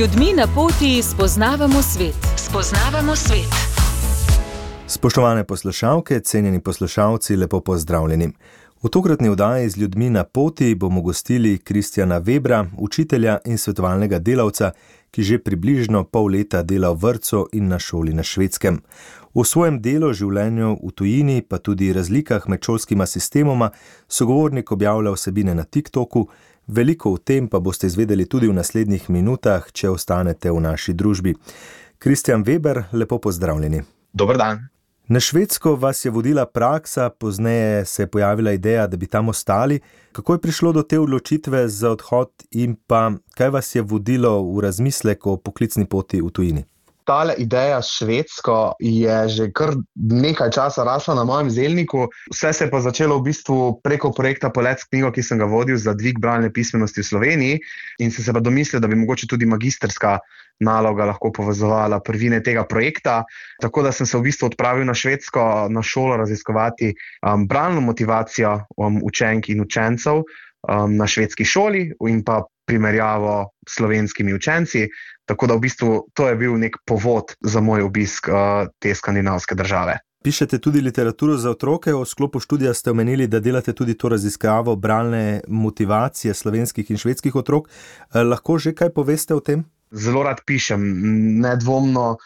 ljudmi na poti spoznavamo svet. Spoznavamo svet. Spoštovane poslušalke, cenjeni poslušalci, lepo pozdravljeni. V tokratni oddaji z ljudmi na poti bomo gostili Kristjana Webra, učitelja in svetovalnega delavca, ki že približno pol leta dela v vrtcu in na šoli na Švedskem. V svojem delu, življenju v tujini, pa tudi razlikah med šolskima sistemoma, sogovornik objavlja vsebine na TikToku. Veliko o tem pa boste izvedeli tudi v naslednjih minutah, če ostanete v naši družbi. Kristjan Weber, lepo pozdravljeni. Dober dan. Na Švedsko vas je vodila praksa, pozneje se je pojavila ideja, da bi tam ostali. Kako je prišlo do te odločitve za odhod in pa kaj vas je vodilo v razmislek o poklicni poti v tujini? Tale ideja s Švedsko je že kar nekaj časa rasla na mojem zelniku. Vse se je pa začelo v bistvu preko projekta Polet s knjigo, ki sem ga vodil za dvig bralne pismenosti v Sloveniji, in sem se pa domislil, da bi mogoče tudi magistrska naloga lahko povezovala prvine tega projekta. Tako da sem se v bistvu odpravil na Švedsko, na šolo raziskovati bralno motivacijo učenk in učencev na švedski šoli in pa primerjavo s slovenskimi učenci. Tako da v bistvu to je bil nek povod za moj obisk te skandinavske države. Pišete tudi literaturo za otroke, v sklopu študija ste omenili, da delate tudi to raziskavo bralne motivacije slovenskih in švedskih otrok. Lahko že kaj poveste o tem? Zelo rad pišem, nedvomno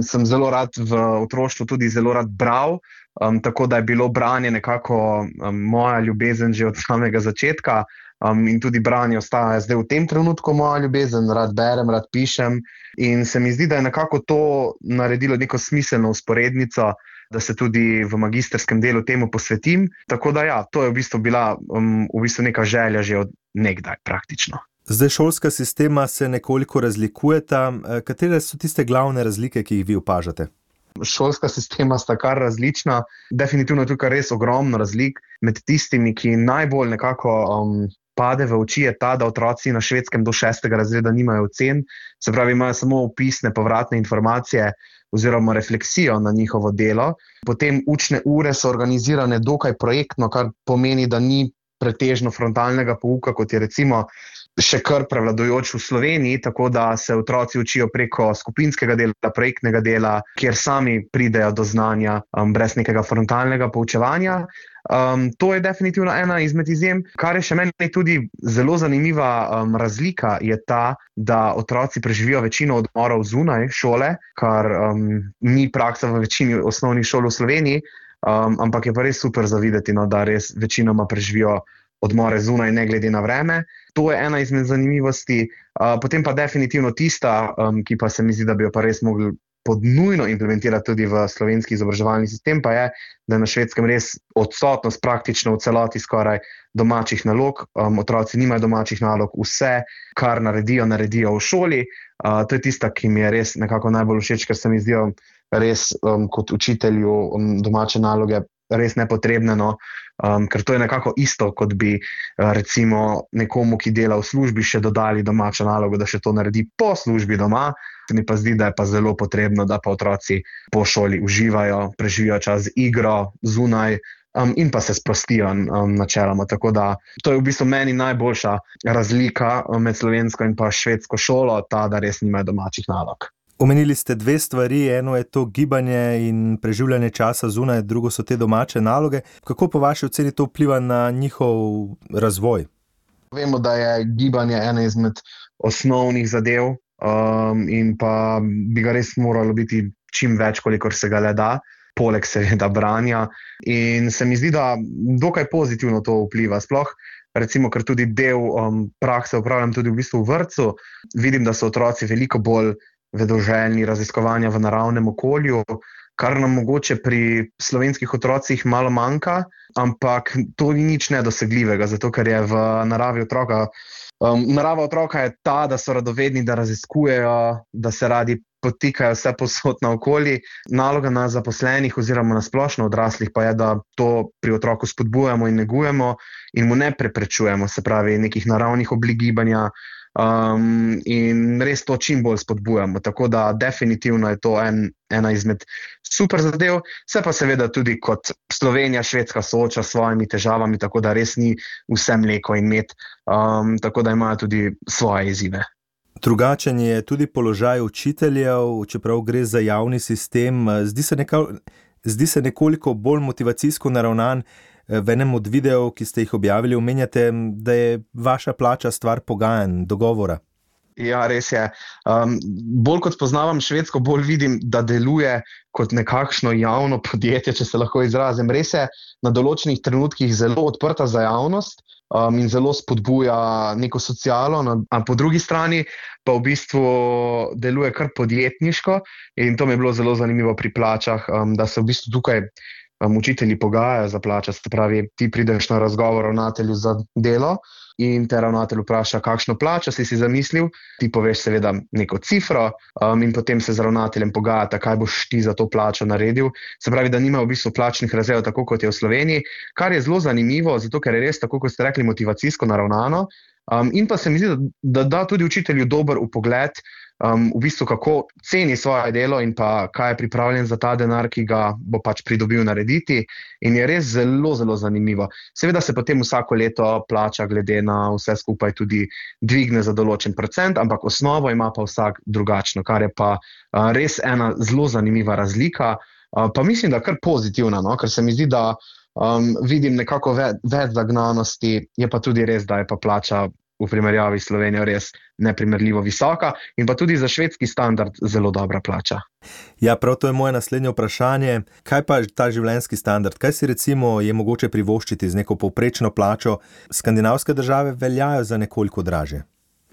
sem zelo rad v otroštvu tudi zelo rad bral, tako da je bilo branje nekako moja ljubezen že od samega začetka. In tudi branje ostaja zdaj v tem trenutku moja ljubezen, rad berem, rad pišem in se mi zdi, da je nekako to naredilo neko smiselno usporednico, da se tudi v magistrskem delu temu posvetim. Tako da ja, to je v bistvu bila neka želja že od nekdaj praktično. Zdaj šolska sistema se nekoliko razlikujeta. Katere so tiste glavne razlike, ki jih vi opažate? Šolska sistema sta kar različna. Definitivno je tukaj res ogromno razlik. Med tistimi, ki najbolj nekako pade v oči, je ta, da otroci na Švedskem do 6. razreda nimajo ocen, se pravi, imajo samo opisne povratne informacije oziroma refleksijo na njihovo delo. Potem učne ure so organizirane dokaj projektno, kar pomeni, da ni pretežno frontalnega pouka, kot je recimo še kar prevladujoč v Sloveniji, tako da se otroci učijo preko skupinskega dela, projektnega dela, kjer sami pridejo do znanja brez nekega frontalnega poučevanja. To je definitivno ena izmed izjem. Kar je še meni tudi zelo zanimiva razlika, je ta, da otroci preživijo večino odmorov zunaj šole, kar ni praksa v večini osnovnih šol v Sloveniji, ampak je pa res super za videti, no, da res večinoma preživijo odmore zunaj, ne glede na vreme. To je ena izmed zanimivosti. Potem pa definitivno tista, ki pa se mi zdi, da bi jo pa res mogli podnujno implementirati tudi v slovenski izobraževalni sistem, pa je, da je na Švedskem res odsotnost praktično v celoti skoraj domačih nalog. Otroci nimajo domačih nalog, vse, kar naredijo v šoli. To je tista, ki mi je res nekako najbolj všeč, ker se mi zdijo res kot učitelju domače naloge res nepotrebne, no? Ker to je nekako isto, kot bi recimo nekomu, ki dela v službi, še dodali domačo nalogo, da še to naredi po službi doma. Se mi pa zdi, da je pa zelo potrebno, da pa otroci po šoli uživajo, preživijo čas z igro, zunaj in pa se sprostijo načeloma. Tako da to je v bistvu meni najboljša razlika med slovensko in pa švedsko šolo, ta, da res nimajo domačih nalog. Omenili ste dve stvari, eno je to gibanje in preživljanje časa zunaj, drugo so te domače naloge. Kako po vaši oceni to vpliva na njihov razvoj? Vemo, da je gibanje ena izmed osnovnih zadev in pa bi ga res moralo biti čim več, kolikor se ga le da, poleg seveda branja. In se mi zdi, da dokaj pozitivno to vpliva. Sploh recimo, ker tudi del prakse upravljam tudi v bistvu v vrtcu, vidim, da so otroci veliko bolj vedoželjni raziskovanja v naravnem okolju, kar nam mogoče pri slovenskih otrocih malo manjka, ampak to ni nič nedosegljivega, zato ker je v naravi otroka. Narava otroka je ta, da so radovedni, da raziskujejo, da se radi potikajo vse povsod naokoli. Naloga nas zaposlenih oziroma na splošno odraslih pa je, da to pri otroku spodbujamo in negujemo in mu ne preprečujemo, se pravi nekih naravnih oblik gibanja, in res to čim bolj spodbujamo. Tako da definitivno je to ena izmed super zadev. Se pa seveda tudi kot Slovenija, Švedska sooča s svojimi težavami, tako da res ni vse mleko in med, tako da imajo tudi svoje izzive. Drugačen je tudi položaj učiteljev, čeprav gre za javni sistem. Zdi se nekoliko bolj motivacijsko naravnan. V enem od videov, ki ste jih objavili, omenjate, da je vaša plača stvar pogajanj, dogovora. Ja, res je. Bolj kot poznavam Švedsko, bolj vidim, da deluje kot nekakšno javno podjetje, če se lahko izrazim. Res je na določenih trenutkih zelo odprta za javnost in zelo spodbuja neko socialo, a po drugi strani pa v bistvu deluje kar podjetniško in to mi je bilo zelo zanimivo pri plačah, da se v bistvu tukaj učitelji pogajajo za plačo, se pravi, ti prideš na razgovor ravnatelju za delo in te ravnatelj vpraša, kakšno plačo si zamislil, ti poveš seveda neko cifro in potem se z ravnateljem pogajata, kaj boš ti za to plačo naredil. Se pravi, da nima v bistvu plačnih razredov tako, kot je v Sloveniji, kar je zelo zanimivo, zato ker je res, tako kot ste rekli, motivacijsko naravnano in pa se mi zdi, da da tudi učitelju dober vpogled v bistvu kako ceni svoje delo in pa kaj je pripravljen za ta denar, ki ga bo pač pridobil narediti in je res zelo, zelo zanimivo. Seveda se potem vsako leto plača glede na vse skupaj tudi dvigne za določen procent, ampak osnovo ima pa vsak drugačno, kar je pa res ena zelo zanimiva razlika, pa mislim, da kar pozitivna, no? Ker se mi zdi, da vidim nekako več zagnanosti, je pa tudi res, da je pa plača v primerjavi s Slovenijo res neprimerljivo visoka in pa tudi za švedski standard zelo dobra plača. Ja, prav to je moje naslednje vprašanje. Kaj pa ta življenjski standard? Kaj si recimo je mogoče privoščiti z neko povprečno plačo? Skandinavske države veljajo za nekoliko dražje.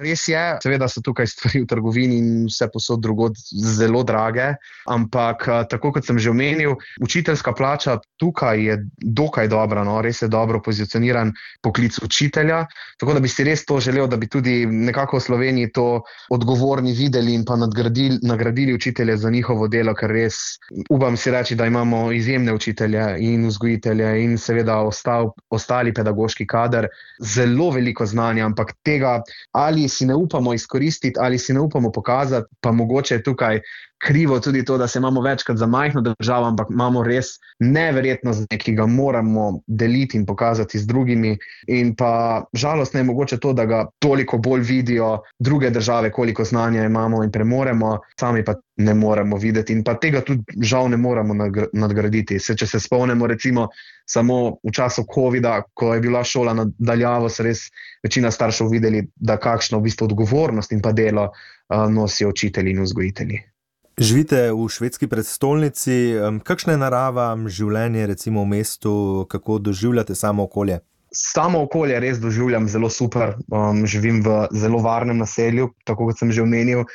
Res je, seveda so tukaj stvari v trgovini in vse posod drugod zelo drage, ampak tako kot sem že omenil, učiteljska plača tukaj je dokaj dobra, no? Res je dobro pozicioniran poklic učitelja, tako da bi si res to želel, da bi tudi nekako v Sloveniji to odgovorni videli in pa nagradili učitelje za njihovo delo, ker res upam si reči, da imamo izjemne učitelje in vzgojitelje in seveda ostali pedagoški kader, zelo veliko znanja, ampak tega ali si ne upamo izkoristiti ali si ne upamo pokazati, pa mogoče je tukaj krivo tudi to, da se imamo večkrat za majhno državo, ampak imamo res neverjetno znanje, ki ga moramo deliti in pokazati z drugimi in pa žalostno je mogoče to, da ga toliko bolj vidijo druge države, koliko znanja imamo in premoremo, sami pa ne moremo videti in pa tega tudi žal ne moremo nadgraditi. Če se spomnimo recimo samo v času covida, ko je bila šola na daljavo, so res večina staršev videli, da kakšno v bistvu odgovornost in pa delo nosijo učitelji in vzgojitelji. Živite v švedski prestolnici, kakšna je narava, življenje recimo v mestu, kako doživljate samo okolje? Samo okolje res doživljam zelo super, živim v zelo varnem naselju, tako kot sem že omenil,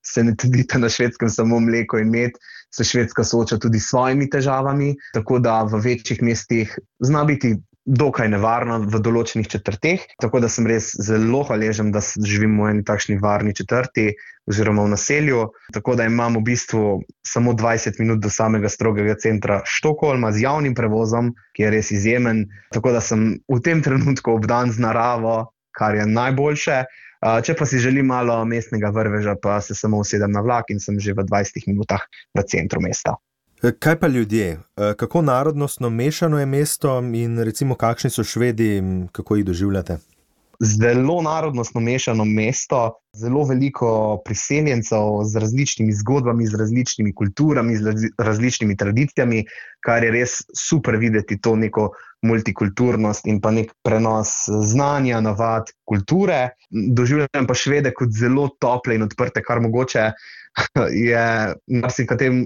se ne trdite na Švedskem samo mleko in med, se Švedska sooča tudi s svojimi težavami, tako da v večjih mestih zna biti dokaj nevarno v določenih četrteh, tako da sem res zelo hvaležen, da živim v eni takšni varni četrti oziroma v naselju, tako da imam v bistvu samo 20 minut do samega strogega centra Štokholma z javnim prevozom, ki je res izjemen, tako da sem v tem trenutku obdan z naravo, kar je najboljše. Če pa si želim malo mestnega vrveža, pa se samo usedem na vlak in sem že v 20 minutah v centru mesta. Kaj pa ljudje? Kako narodnostno mešano je mesto in recimo kakšni so Švedi, kako jih doživljate? Zelo narodnostno mešano mesto, zelo veliko priseljencev z različnimi zgodbami, z različnimi kulturami, z različnimi tradicijami, kar je res super videti to neko multikulturnost in pa nek prenos znanja, navad, kulture. Doživljam pa Švede kot zelo tople in odprte, kar mogoče je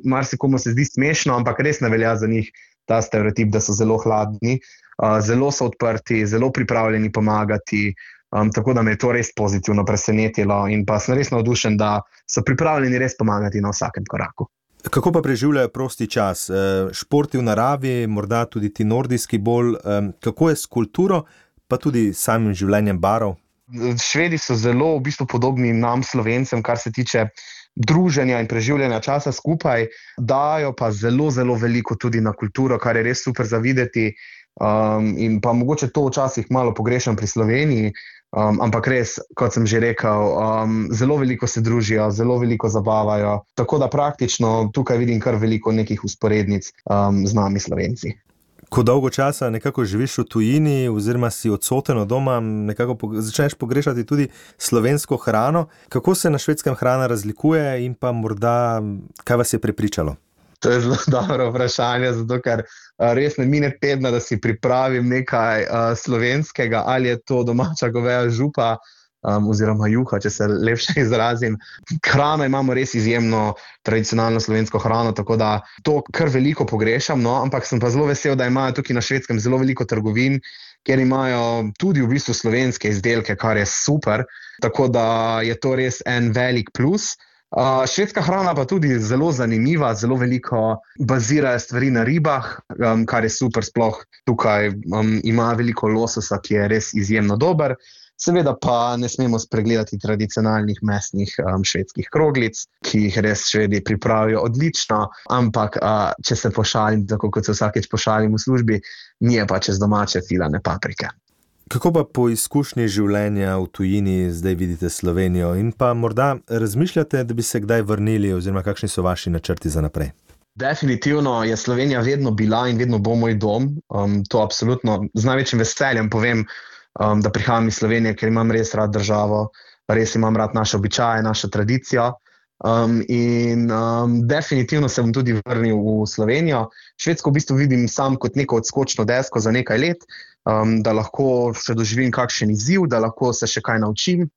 marsikomu se zdi smešno, ampak res ne velja za njih ta stereotip, da so zelo hladni. Zelo so odprti, zelo pripravljeni pomagati, tako da me je to res pozitivno presenetilo in pa sem res navdušen, da so pripravljeni res pomagati na vsakem koraku. Kako pa preživljajo prosti čas? Športi v naravi, morda tudi ti nordijski bolj, kako je s kulturo, pa tudi samim življenjem barov? Švedi so zelo v bistvu podobni nam Slovencem, kar se tiče druženja in preživljanja časa skupaj, dajo pa zelo, zelo veliko tudi na kulturo, kar je res super za videti. In pa mogoče to včasih malo pogrešam pri Sloveniji, ampak res, kot sem že rekel, zelo veliko se družijo, zelo veliko zabavajo, tako da praktično tukaj vidim kar veliko nekih usporednic z nami Slovenci. Ko dolgo časa nekako živiš v tujini oziroma si odsoten od doma, nekako začneš pogrešati tudi slovensko hrano. Kako se na Švedskem hrana razlikuje in pa morda, kaj vas je prepričalo? To je zelo dobro vprašanje, zato ker res ne mine tedna, da si pripravim nekaj slovenskega, ali je to domača goveja župa, oziroma juha, če se lepše izrazim. Hrano imamo res izjemno tradicionalno slovensko hrano, tako da to kar veliko pogrešam, no, ampak sem pa zelo vesel, da imajo tukaj na Švedskem zelo veliko trgovin, kjer imajo tudi v bistvu slovenske izdelke, kar je super, tako da je to res en velik plus. Švedska hrana pa tudi zelo zanimiva, zelo veliko bazirajo stvari na ribah, kar je super, sploh tukaj ima veliko lososa, ki je res izjemno dober. Seveda pa ne smemo spregledati tradicionalnih mesnih švedskih kroglic, ki jih res Švedi pripravijo odlično, ampak če se pošalim, tako kot se vsakeč pošalim v službi, mi je pa čez domače filane paprike. Kako pa po izkušnji življenja v tujini zdaj vidite Slovenijo in pa morda razmišljate, da bi se kdaj vrnili oziroma kakšni so vaši načrti za naprej? Definitivno je Slovenija vedno bila in vedno bo moj dom, to absolutno z največjim veseljem povem, da prihajam iz Slovenije, ker imam res rad državo, res imam rad naše običaje, našo tradicijo in definitivno se bom tudi vrnil v Slovenijo. Švedsko v bistvu vidim sam kot neko odskočno desko za nekaj let, da lahko še doživim kakšen izziv, da lahko se še kaj naučim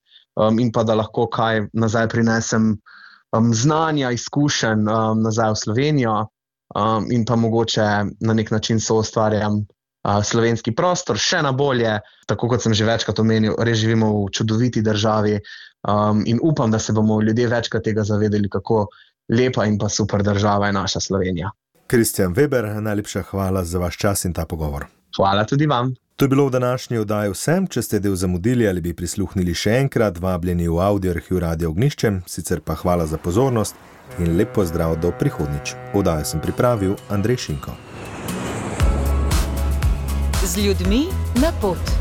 in pa da lahko kaj nazaj prinesem znanja, izkušenj nazaj v Slovenijo in pa mogoče na nek način soustvarjam slovenski prostor še na bolje, tako kot sem že večkrat omenil, res živimo v čudoviti državi in upam, da se bomo ljudje večkrat tega zavedali, kako lepa in pa super država je naša Slovenija. Kristjan Weber, najlepša hvala za vaš čas in ta pogovor. Hvala tudi vam. To je bilo v današnji oddaji vsem. Če ste del zamudili ali bi prisluhnili še enkrat, vabljeni v audio arhiv Radia Ognjišče, sicer pa hvala za pozornost in lep pozdrav do prihodnjič. Oddajo sem pripravil Andrej Šinko. Z ljudmi na pot.